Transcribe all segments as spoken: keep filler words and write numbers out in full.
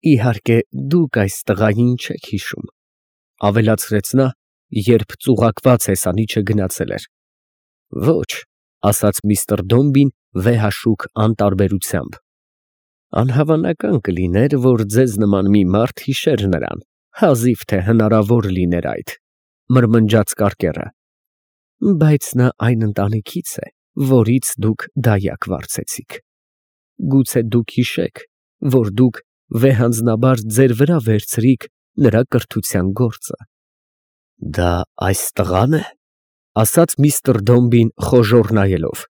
Իհարկե, դուք այս տղային չեք հիշում, ավելացրեց նա, երբ ծուղակված հեսանիչը գնացել էր։ Ոչ, ասաց միստր Դոմբին վեհաշուք անտարբերությամբ, անհավանական կլիներ, որ ձեզ նման մի մարդ հիշեր նրան, հազիվ թե հնարավոր լիներ այդ, մրմնջաց կարկերը, բայց նա այն ընտանիքից է, որից դուք դայակ վարձեցիք, գուցե դուք հիշեք, որ դուք վեհանձնաբար ձեր վրա վերցրիք նրա կրթության գործը։ Դա այս տղա՞ն է, ասաց միստր Դոմբին խոժոռ նայելով։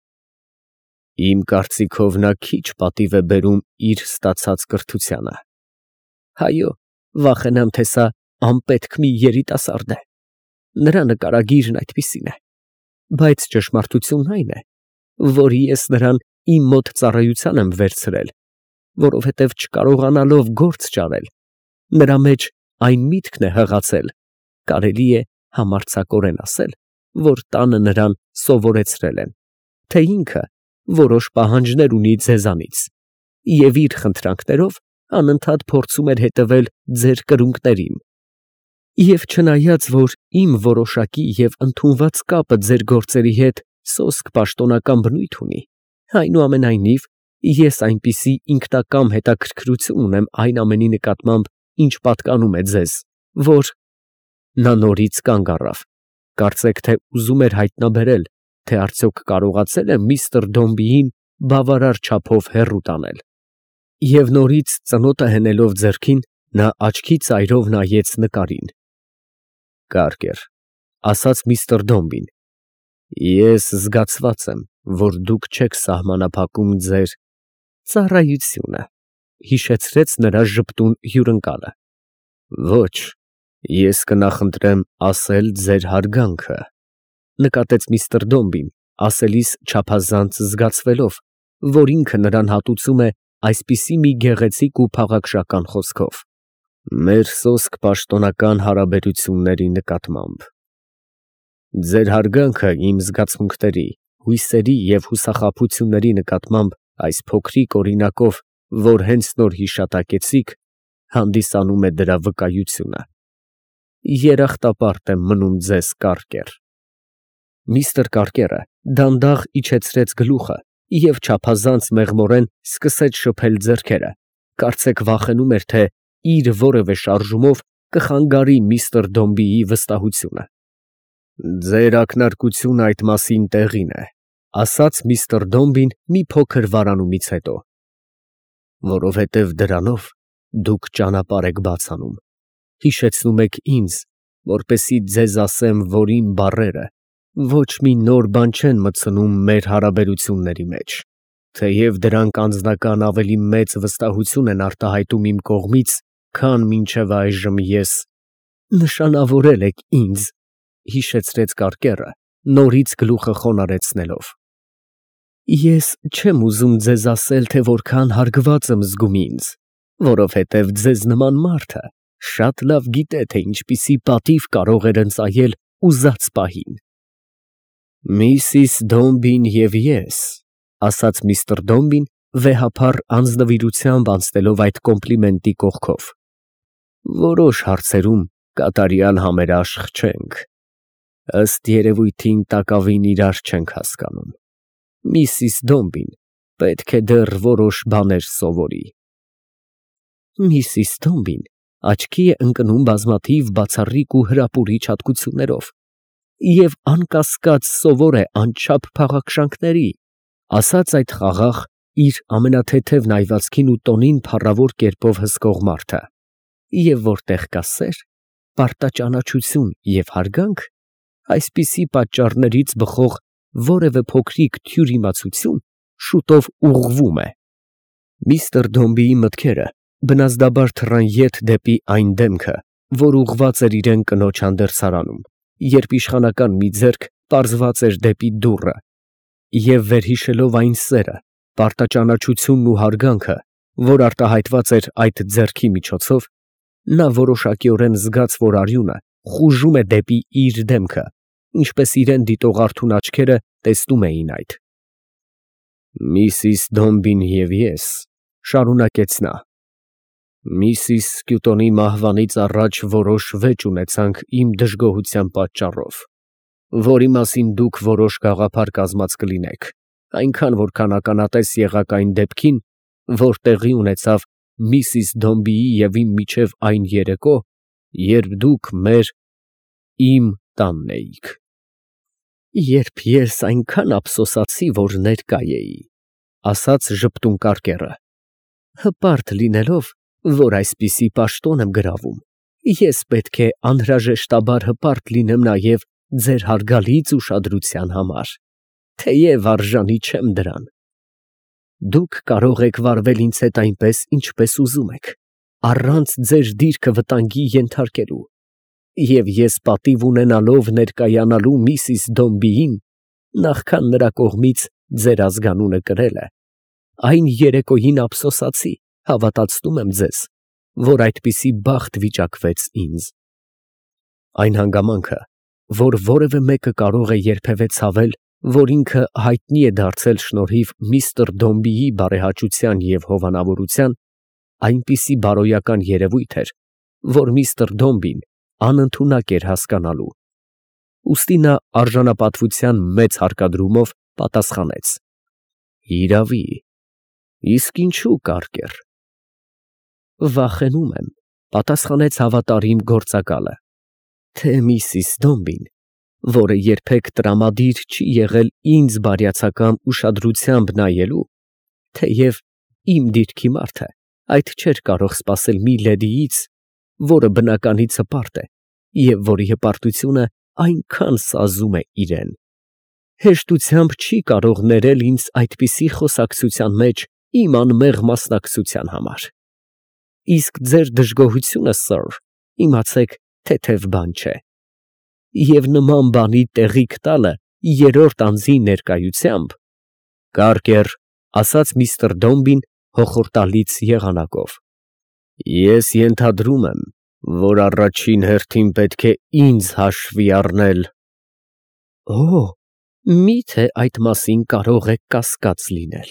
Իմ կարծիքով նա քիչ պատիվ է բերում իր ստացած կրթությանը։ Հայո, վախենամ, թե սա անպետք մի երիտասարդ է։ Նրա նկարագիրն այդպիսին է, բայց ճշմարտությունն այն է, որ ես նրան իմ մոտ ծառայության եմ վերցրել, որովհետև չկարողանալով գործ ճարել, նրա մեջ այն միտքն է հղացել, կարելի է համարձակորեն ասել, որ տանը նրան սովորեցրել են, թե ինքը որոշ պահանջներ ունի ձեզանից, և իր խնդրանքներով անընդհատ փորձում էր հետևել ձեր կրունկներին։ Եվ չնայած, որ իմ որոշակի և ընդունված կապը ձեր գործերի հետ սոսկ պաշտոնական բնույթ ունի, այնուամենայնիվ, ես այնպիսի ինքնակամ հետաքրքրություն ունեմ այն ամենի նկատմամբ, ինչ պատկանում է ձեզ, որ… Նա նորից կանգ առավ, կարծեք թե ուզում էր հայտնաբերել, թե արդյոք կարողացել է միստր Դոմբիին բավարար չափով հեռու տանել։ Եվ նորից ծնոտը հենելով ձեռքին, նա աչքի ծայրով նայեց նկարին։ Կարկեր, ասաց միստր Դոմբին, ես զգացված եմ, որ դուք չեք սահմանափակում ձեր ծառայությունը, հիշեցրեց նրա ժպտուն հյուրընկալը։ Ոչ, ես կնախընտրեմ ասել ձեր հարգանքը, նկատեց միստր Դոմբին, ասելիս չափազանց զգացվելով, որ ինքը նրան հատուցում է այսպիսի մի գեղեցիկ ու փաղաքշական խոսքով, մեր սոսկ պաշտոնական հարաբերությունների նկատմամբ։ Ձեր հարգանքը իմ զգացմունքների, հույսերի և հուսախաբությունների նկատմամբ այս փոքրիկ օրինակով, որ հենց նոր հիշատակեցիք, հանդիսանում է դրա վկայությունը։ Երախտապարտ եմ մնում ձեզ, Կարկեր։ Միստր Կարկերը դանդաղ իջեցրեց գլուխը և չափազանց մեղմորեն սկսեց շփել ձեռքերը, կարծեք վախենում էր, թե իր որևէ շարժումով կխանգարի միստր Դոմբիի վստահությունը։ Ձեր ակնարկությունը այդ մասին տեղին է, ասաց միստր Դոմբին մի փոքր վարանումից հետո, որովհետև դրանով դուք ճանապարհ եք բաց անում, հիշեցնում եք ինձ, որպեսզի ձեզ ասեմ, որ իմ բառերը ոչ մի նոր բան չեն մտցնում մեր հարաբերությունների մեջ, թեև դրանք անձնական ավելի մեծ վստահություն են արտահայտում իմ կողմից, քան մինչև այժմ ես… Նշանավորել եք ինձ, հիշեցրեց Կարկերը, նորից գլուխը խոնարհեցնելով։ Ես չեմ ուզում ձեզ ասել, թե որքան հարգված եմ զգում ինձ, որովհետև ձեզ նման մարդը շատ լավ գիտե, թե ինչպիսի պատիվ կարող էր ընծայել ուզած պահին։ Միսիս Դոմբին և ես, ասաց միստր Դոմբին, վեհափառ անձնվիրությամբ անցնելով այդ կոմպլիմենտի կողքով, որոշ հարցերում կատարյալ համերաշխ չենք, ըստ երևույթին տակավին իրար չենք հասկանում։ Միսիս Դոմբին պետք է դեռ որոշ բաներ սովորի։ Միսիս Դոմբին աչքի է ընկնում բազմաթիվ բացառիկ ու հրապուրիչ հատկություններով և անկասկած սովոր է անչափ փաղաքշանքների, ասաց այդ խաղաղ, իր ամենաթեթև նայվածքին ու տոնին փառավոր կերպով հսկող մարդը, և որտեղ կա սեր, պարտաճանաչություն և հարգանք, այսպիսի պատճառներից բխող որևէ փոքրիկ թյուր իմացություն շուտով ուղղվում է։ Միստր Դոմբիի մտքերը բնազդաբար թռան ետ դեպի այն դեմքը, որ ուղղված էր իրան կնոջ հանդերձարանում, երբ իշխանական մի ձեռք պարզված էր դեպի դուռը, և վերհիշելով այն սերը, պարտաճանաչությունն ու հարգանքը, որ արտահայտված էր այդ ձեռքի միջոցով, նա որոշակիորեն զգաց, որ արյունը խուժում է դեպի իր դեմքը, ինչպես իրան դիտող արթուն աչքերը տեսնում էին այդ։ Միսիս Դոմբին և ես, շարունակեց նա, Միսիս Սկյուտոնի մահվանից առաջ որոշ վեճ ունեցանք իմ դժգոհության պատճառով, որի մասին դուք որոշ գաղափար կազմած կլինեք, այնքան որքան ականատես եղաք այն դեպքին, որ տեղի ունեցավ միսիս Դոմբիի և իմ միջև այն երեկո, երբ դուք մեր, իմ տանն էիք։ Երբ ես այնքան ափսոսացի, որ ներկա էի, ասաց ժպտուն կարկերը, հպարտ լինելով, որ այսպիսի պաշտոն եմ գրավում, ես պետք է անհրաժեշտաբար հպարտ լինեմ նաև ձեր հարգալից ուշադրության համար, թեև արժանի չեմ դրան։ Դուք կարող եք վարվել ինձ հետ այնպես, ինչպես ուզում եք, առանց ձեր դիրքը վտանգի ենթարկելու, և ես պատիվ ունենալով ներկայանալու միսիս Դոմբիին, նախքան նրա կողմից ձեր ազգանունը կրելը, այն երեկոյին ափսոսացի, հավատացնում եմ ձեզ, որ այդպիսի բախտ վիճակվեց ինձ։ Այն հանգամանքը, որ որևէ մեկը կարող է երբևէ ցավել, որ ինքը հայտնի է դարձել շնորհիվ միստր Դոմբիի բարեհաճության և հովանավորության, այնպիսի բարոյական երևույթ էր, որ միստր Դոմբին անընդունակ էր հասկանալու, ուստի նա արժանապատվության մեծ հարկադրումով պատասխանեց. «Իրավի, իսկ ինչու, կարկեր»։ «Վախենում եմ», պատասխանեց հավատարիմ գործակալը, «թե միսիս Դոմբին, որը երբեք տրամադիր չի եղել ինձ բարյացակամ ուշադրությամբ նայելու, թեև իմ դիրքի մարդ է, այդ չէր կարող սպասել մի լեդիից, որը բնականից հպարտ է և որի հպարտությունը այնքան սազում է իրան, հեշտությամբ չի կարող ներել ինձ այդպիսի խոսակցության մեջ իմ անմեղ մասնակցության համար։ Իսկ ձեր դժգոհությունը, սըր, իմացեք, թեթև բան չէ, և նման բանի տեղիք տալը երրորդ անձի ներկայությամբ»։ «Կարկեր», ասաց միստր Դոմբին հոխորտալից եղանակով, «ես ենթադրում եմ, որ առաջին հերթին պետք է ինձ հաշվի առնել»։ «Օ, մի՞թե այդ մասին կարող եք կասկած լինել»,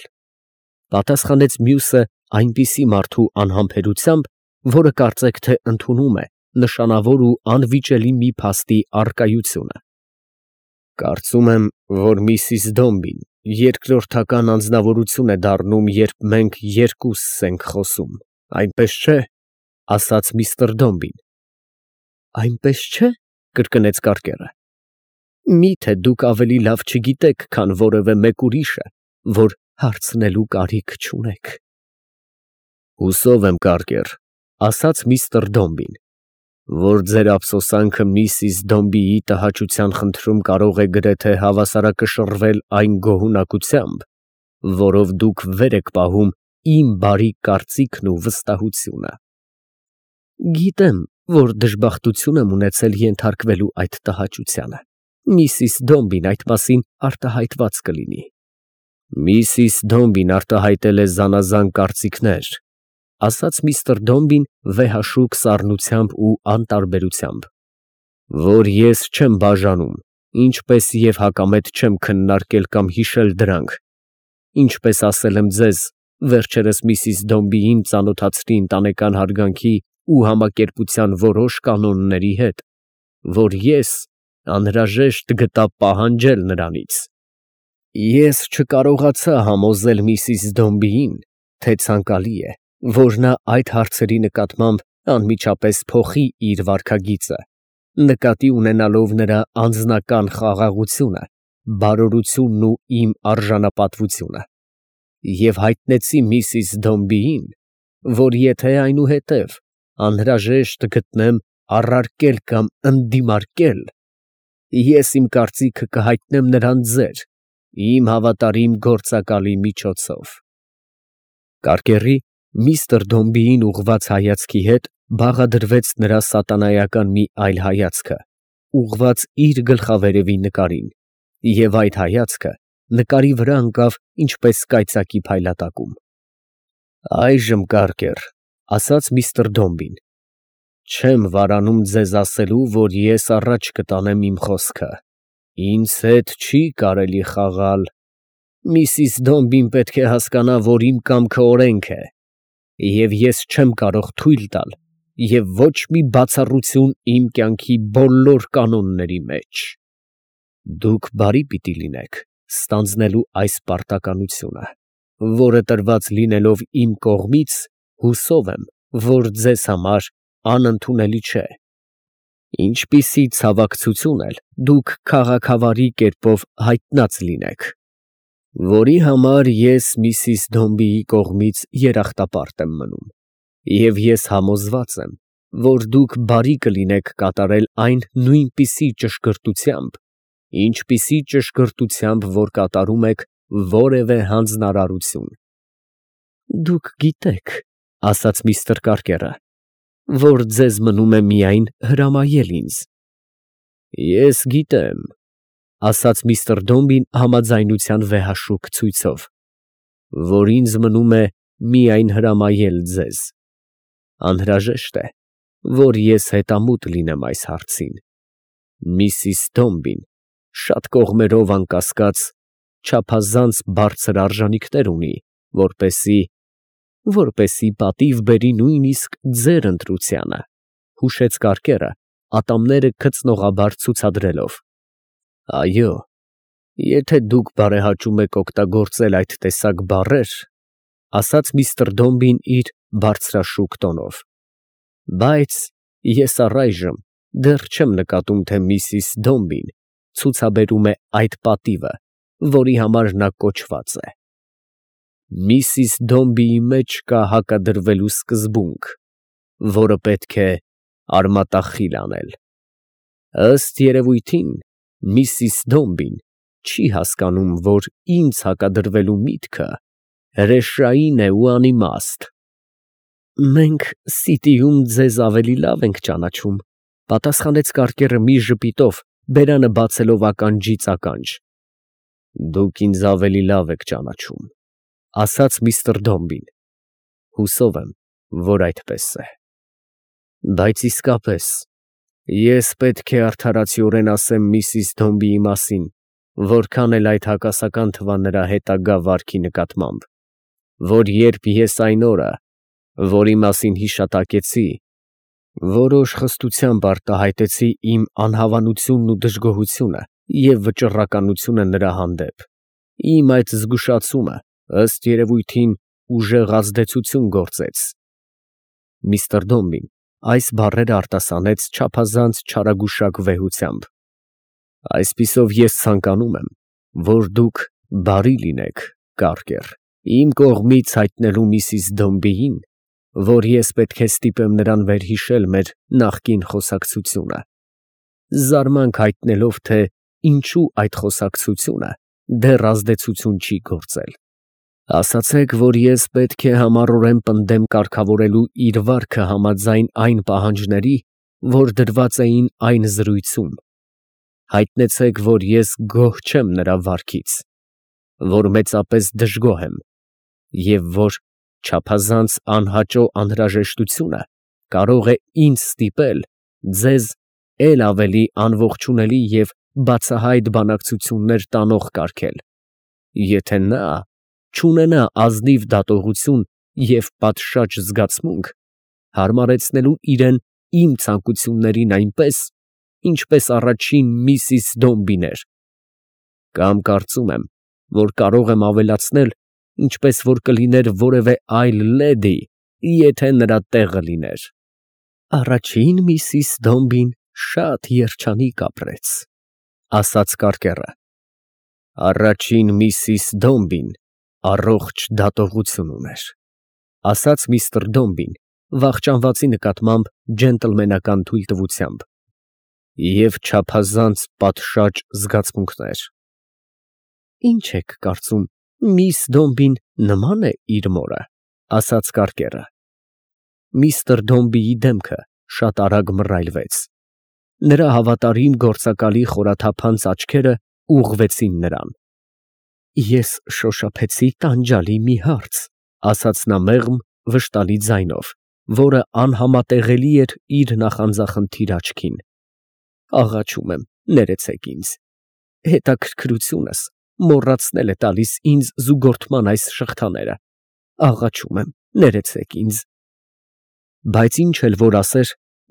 պատասխանեց մյուսը այնպիսի մարդու անհամբերությամբ, որը կարծեք թե ընդունում է նշանավոր ու անվիճելի մի փաստի առկայությունը։ «Կարծում եմ, որ միսիս Դոմբին երկրորդական անձնավորություն է դառնում, երբ մենք երկուսս ենք խոսում, այնպես չէ՞, ասաց միստր Դոմբին։ «Այնպես չէ՞, կրկնեց կարկերը, մի՞թե դուք ավելի լավ չգիտեք, քան որևէ մեկ ուրիշը, որ հարցնելու կարիք չունեք»։ «Հուսով եմ, կարկեր», ասաց միստր Դոմբին, «որ ձեր ափսոսանքը միսիս Դոմբիի տհաճության խնդրում կարող է գրեթե հավասարակշռվել այն գոհունակությամբ, որով դուք վեր եք պահում իմ բարի կարծիքն ու վստահությունը»։ «Գիտեմ, որ դժբախտություն եմ ունեցել ենթարկվելու այդ տհաճությանը, միսիս Դոմբին այդ մասին արտահայտված կլինի»։ «Միսիս Դոմբին արտահայտել է զանազան կարծիքներ», ասաց միստր Դոմբին վեհաշուկ սառնությամբ ու անտարբերությամբ, «որ ես չեմ բաժանում, ինչպես և հակամետ չեմ քննարկել կամ հիշել դրանք, ինչպես ասել եմ ձեզ, վերջերս միսիս Դոմբիին ծանոթացրի ընտանեկան հարգանքի ու համակերպության որոշ կանոնների հետ, որ ես անհրաժեշտ գտա պահանջել նրանից։ Ես չկարողացա համոզել միսիս Դոմբիին, թե ցանկալի է, որ նա այդ հարցերի նկատմամբ անմիջապես փոխի իր վարքագիծը, նկատի ունենալով նրա անձնական խաղաղությունը, բարօրությունն ու իմ արժանապատվությունը, և հայտնեցի միսիս Դոմբիին, որ եթե այնուհետև անհրաժեշտ գտնեմ առարկել կամ ընդդիմարկել, ես իմ կարծիքը կհայտնեմ նրան ձեր, իմ հավատարիմ գործակալի միջոցով»։ Կարկերի միստր Դոմբիին ուղղված հայացքի հետ բաղադրվեց նրա սատանայական մի այլ հայացքը, ուղղված իր գլխավերևի նկարին, և այդ հայացքը նկարի վրա ընկավ ինչպես կայծակի փայլատակում։ «Այժմ, կարկեր, ֊ ասաց միստր Դոմբին, ֊ չեմ վարանում ձեզ ասելու, որ ես առաջ կտանեմ իմ խոսքը, ինձ հետ չի կարելի խաղալ։ Միսիս Դոմբին պետք է հասկանա, որ իմ կամքը օրենք է, և ես չեմ կարող թույլ տալ և ոչ մի բացառություն իմ կյանքի բոլոր կանոնների մեջ։ Դուք բարի պիտի լինեք ստանձնելու այս պարտականությունը, որը տրված լինելով իմ կողմից, հուսով եմ, որ ձեզ համար անընդունելի չէ։ Ինչպիսի ցավակցություն էլ դուք քաղաքավարի կերպով հայտնած լինեք, որի համար ես Միսիս Դոմբիի կողմից երախտապարտ եմ մնում, և ես համոզված եմ, որ դուք բարի կլինեք կատարել այն նույնպիսի ճշգրտությամբ, ինչպիսի ճշգրտությամբ, որ կատարում եք որևէ հանձնարարություն։ Դուք գիտեք, ֊ ասաց միստր Կարկերը, ֊ որ ձեզ մնում է միայն հրամայել ինձ։ Ես գիտեմ, ֊ ասաց միստր Դոմբին համաձայնության վեհաշուկ ցույցով, որ ինձ մնում է միայն հրամայել ձեզ։ Անհրաժեշտ է, որ ես հետամուտ լինեմ այս հարցին։ Միսիս Դոմբին շատ կողմերով անկասկած չափազանց բարձր արժանիքներ ունի, որպեսզի… որպեսզի պատիվ բերի նույնիսկ ձեր ընտրությանը, ֊ հուշեց Կարկերը, ատամները գծնողաբար ցուցադրելով։ Այո, եթե դուք բարեհաճում եք օգտագործել այդ տեսակ բառեր, ֊ ասաց միստր Դոմբին իր բարձրաշուկ տոնով, ֊ բայց ես առայժմ դեռ չեմ նկատում, թե Միսիս Դոմբին ցուցաբերում է այդ պատիվը, որի համար նա կոչված է։ Միսիս Դոմբիի մեջ կա հակադրվելու սկզբունք, որը պետք է արմատախիլ անել։ Ըստ երևույթին, Միսիս Դոմբին չի հասկանում, որ ինձ հակադրվելու միտքը հրեշային է ու անիմաստ։ Մենք Սիտիում ձեզ ավելի լավ ենք ճանաչում, ֊ պատասխանեց Կարկերը մի ժպիտով, բերանը բացելով ականջից ականջ։ Դուք ինձ ավելի լավ եք ճանաչում, ֊ ասաց միստր Դոմբին։ Հուսով եմ, որ այդպես է։ Բայց իսկապես, ես պետք է արդարացիորեն ասեմ Միսիս Դոմբիի մասին, որքան էլ այդ հակասական թվա նրա հետագա վարքի նկատմամբ, որ երբ ես այն օրը, որի մասին հիշատակեցի, որոշ խստությամբ արտահայտեցի իմ անհավանությունն ու դժգոհությունը և վճռականությունը նրա հանդեպ, իմ այդ զգուշացումը, ըստ երևույթին, ուժեղ ազդեցություն գործեց։ Միստր Դոմբին այս բառերը արտասանեց չափազանց չարագուշակ վեհությամբ։ Այսպիսով ես ցանկանում եմ, որ դուք բարի լինեք, Կարկեր, իմ կողմից հայտնելու Միսիս Դոմբիին, որ ես պետք է ստիպեմ նրան վերհիշել մեր նախկին խոսակցությունը, զարմանք հայտնելով, թե ինչու այդ խոսակցությունը դեռ ազդեցություն չի գործել։ Ասացեք, որ ես պետք է համառորեն պնդեմ կարգավորելու իր վարքը համաձայն այն պահանջների, որ դրված էին այն զրույցում։ Հայտնեցեք, որ ես գոհ չեմ նրա վարքից, որ մեծապես դժգոհ եմ, և որ չափազանց անհաճո անհրաժեշտությունը կարող է ինձ ստիպել ձեզ էլ ավելի անողջունելի և բացահայտ բանակցություններ տանող կարգել, եթե նա չունենա ազնիվ դատողություն և պատշաճ զգացմունք հարմարեցնելու իրան իմ ցանկություններին այնպես, ինչպես առաջին Միսիս Դոմբին էր, կամ կարծում եմ, որ կարող եմ ավելացնել, ինչպես որ կլիներ որևէ այլ լեդի, եթե նրա տեղը լիներ։ Առաջին Միսիս Դոմբին շատ երջանիկ ապրեց, ֊ ասաց Կարկերը։ Առաջին Միսիս Դոմբին առողջ դատողություն ուներ, ֊ ասաց միստր Դոմբին վախճանվածի նկատմամբ ջենտլմենական թույլտվությամբ, և չափազանց պատշաճ զգացմունքներ։ Ինչ եք կարծում, միս Դոմբին նման է իր մորը, ֊ ասաց Կարկերը։ Միստր Դոմբիի դեմքը շատ արագ մռայլվեց։ Նրա հավատարիմ գործակալի խորաթափանց աչքերը ուղղվեցին նրան։ Ես շոշափեցի տանջալի մի հարց, ֊ ասաց նա մեղմ, վշտալի ձայնով, որը անհամատեղելի էր իր նախանձախնդիր աչքին։ Աղաչում եմ, ներեցեք ինձ։ Հետաքրքրությունս մոռացնել է տալիս ինձ զուգորդման այս շղթաները։ Աղաչում եմ, ներեցեք ինձ։ Բայց ինչ էլ որ ասեր,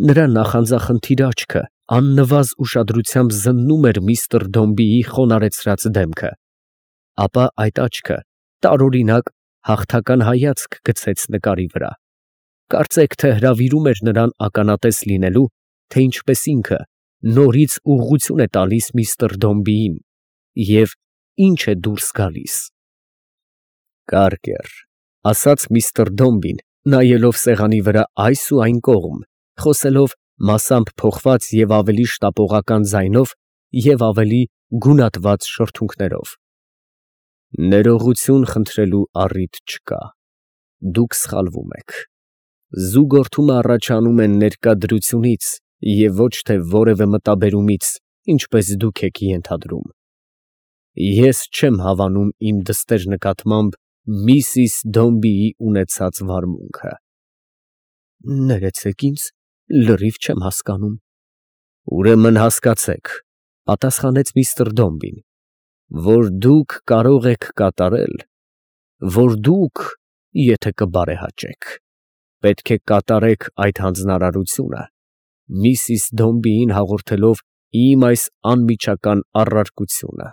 նրա նախանձախնդիր աչքը աննվազ ուշադրությամբ զննում էր միստր Դոմբիի խոնարհեցրած դեմքը, ապա այդ աչքը տարօրինակ հաղթական հայացք գցեց նկարի վրա, կարծեք թե հրավիրում էր նրան ականատես լինելու, թե ինչպես ինքը նորից ուղղություն է տալիս միստր Դոմբիին և ինչ է դուրս գալիս։ Կարկեր, ասաց միստր Դոմբին, նայելով սեղանի վրա այս ու այն կողմ, խոսելով մասամբ փոխված և ավելի շտապողական ձայնով և ավելի գունատված շրթունքներով. Ներողություն խնդրելու առիթ չկա, դուք սխալվում եք, զուգորդումը առաջանում է ներկա դրությունից և ոչ թե որևէ մտաբերումից, ինչպես դուք եք ենթադրում, ես չեմ հավանում իմ դստեր նկատմամբ միսիս Դոմբիի ունեցած վարմունքը։ Ներեցեք ինձ, լրիվ չեմ հասկանում։ Ուրեմն հասկացեք, պատասխանեց միստր Դոմբին, որ դուք կարող եք կատարել, որ դուք, եթե կբարեհաճեք, պետք է կատարեք այդ հանձնարարությունը, միսիս Դոմբիին հաղորդելով իմ այս անմիջական առարկությունը։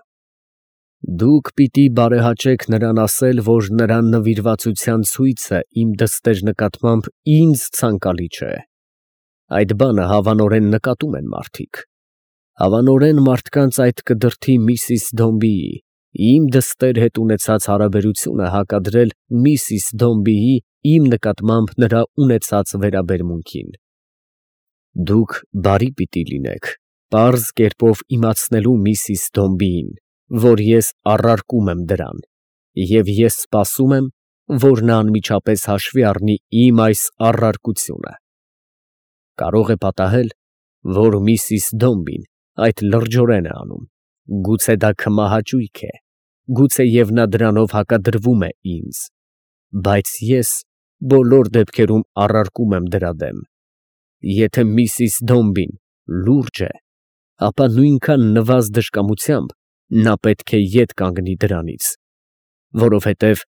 Դուք պիտի բարեհաճեք նրան ասել, որ նրա նվիրվածության ցույցը իմ դստեր նկատմամբ ինձ ցանկալի չէ։ Այդ բանը հավանորեն նկատում են մարդիկ։ Հավանորեն մարդկանց այդ կդրդի միսիս Դոմբիի իմ դստեր հետ ունեցած հարաբերությունը հակադրել միսիս Դոմբիի իմ նկատմամբ նրա ունեցած վերաբերմունքին։ Դուք բարի պիտի լինեք, պարզ կերպով իմացնելու միսիս Դոմբիին, որ ես առարկում եմ դրան, և ես սպասում եմ, որ նա անմիջապես հաշվի առնի իմ այս առարկությունը։ Կարող է պատահել, որ միսիս Դոմբին այդ լրջորեն է անում, գուցե դա քմահաճույք է, գուցեև նա դրանով հակադրվում է ինձ, բայց ես բոլոր դեպքերում առարկում եմ դրա դեմ։ Եթե միսիս Դոմբին լուրջ է, ապա նույնքան նվազ դժկամությամբ նա պետք է ետ կանգնի դրանից, որովհետև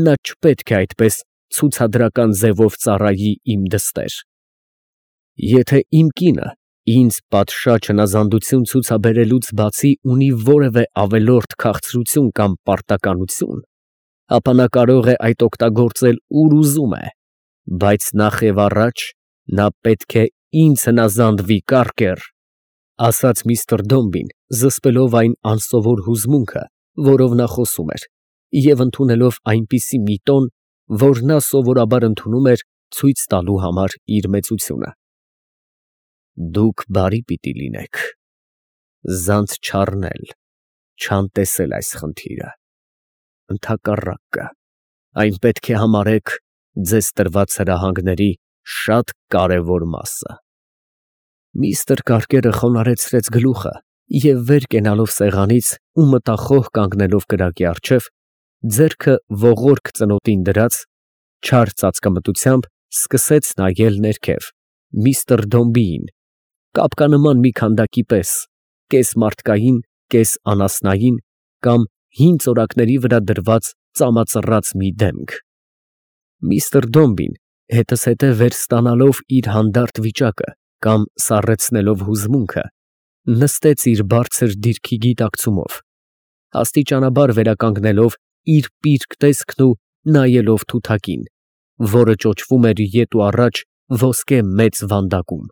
նա չպետք է այդպես ցուցադրական ձևով ծառայի իմ դստեր։ Եթե իմ կինը ինձ պատշաճ հնազանդություն ցուցաբերելուց բացի ունի որևէ ավելորդ քաղցրություն կամ պարտականություն, ապա նա կարող է այդ օգտագործել ուր ուզում է, բայց նախ և առաջ նա պետք է ինձ հնազանդվի, Կարկեր, ասաց միստր Դոմբին, զսպելով այն անսովոր հուզմունքը, որով նա խոսում էր, և ընդունելով այնպիսի մի տոն, որ նա սովորաբար ընդունում էր ցույց տալու համար իր մեծությունը։ Դուք բարի պիտի լինեք, զանց չառնել, չանտեսել այս խնդիրը, ընդհակառակը, այն պետք է համարեք ձեզ տրված հրահանգների շատ կարևոր մասը։ Միստր Կարկերը խոնարհեցրեց գլուխը և վեր կենալով սեղանից ու մտախոհ կանգնելով կրակի առջև, ձեռքը ողորկ ծնոտին դրած, չար ծածկամտությամբ սկսեց նայել ներքև միստր Դոմբիին, կապկանման մի քանդակի պես, կես մարդկային, կես անասնային կամ հին ծորակների վրա դրված ծամածռած մի դեմք։ Միստր Դոմբին հետզհետե վեր ստանալով իր հանդարտ վիճակը կամ սառեցնելով հուզմունքը, նստեց իր բարձր դիրքի գիտակցումով, աստիճանաբար վերականգնելով իր պիրկ տեսքն ու նայելով թութակին, որը ճոճվում էր ետ ու առաջ ոսկե մեծ վանդակում։